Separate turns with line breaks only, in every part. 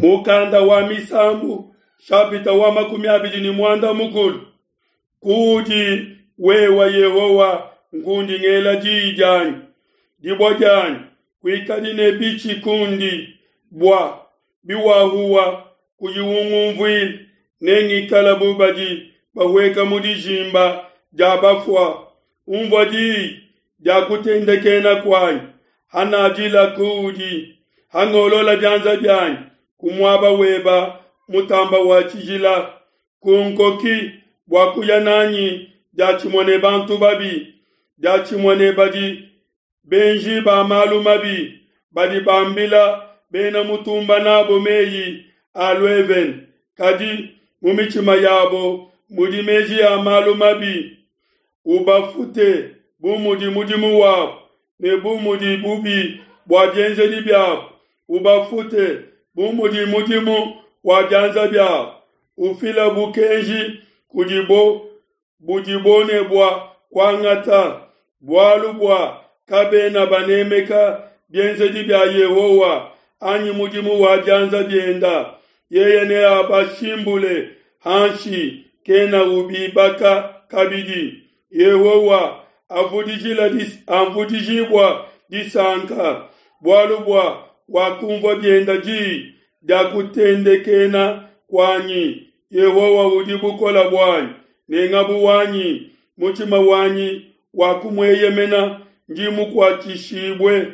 Mukanda wa Misambu shapita wa 24. Kuudi wewa Yehowa nkundi ngela diyi dianyi, dibua dianyi, kuikadi ne bitshi kundi, bua biwahuwa kuyi ungumvuila, nengikala bu badi bahueka mu dijimba dia bafua. Unvua diyi dia kutendekena kuanyi, hanadila kuudi, hangolola bianza bianyi ku muaba weba mutamba wa tshijila. Kunkoki bua kuya nanyi diatshimue ne bantu babi, diatshimue ne badi benji ba malu mabi, badi bambila bena mutumba nabo meyi a luevene, kadi mu mitshima yabo mudi meji a malu mabi. Ubafute bu mudi mudimu wabo ne bu mudi bubi bua bienzedi biabo, ubafute bu mudi mudimu wa bianza biabo. Ufila bukenji kudibo budibo ne bua kuangata, bualu bua kabena banemeka bienzedi bia Yehowa anyi mudimu wa bianza bienda. Yeye neabashimbule hanshi, kena ubibaka kabidi. Yehowa avudijibua disanka, bualu bua wakumvua bienda diyi dia kutendekena kuanyi. Yehowa udi bukole buanyi ne ngabu wanyi, mutshima wanyi wakumueyemena, ndi mukuatshishibue.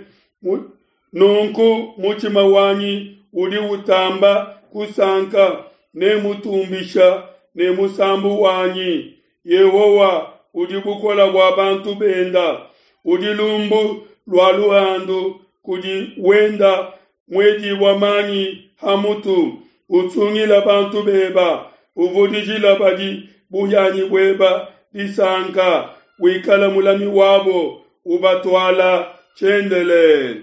Nunku mutshima wanyi udi utamba kusanka, nemutumbisha ne musambu wanyi. Yehowa udi bukole bua bantu benda, udi lumbu lua luhandu kudi wenda muedibua manyi ha mutu. Usungila bantu beba, uvudijila badi buhianyi bueba disanka, wikala mulami wabo, ubatuala tshiendelele.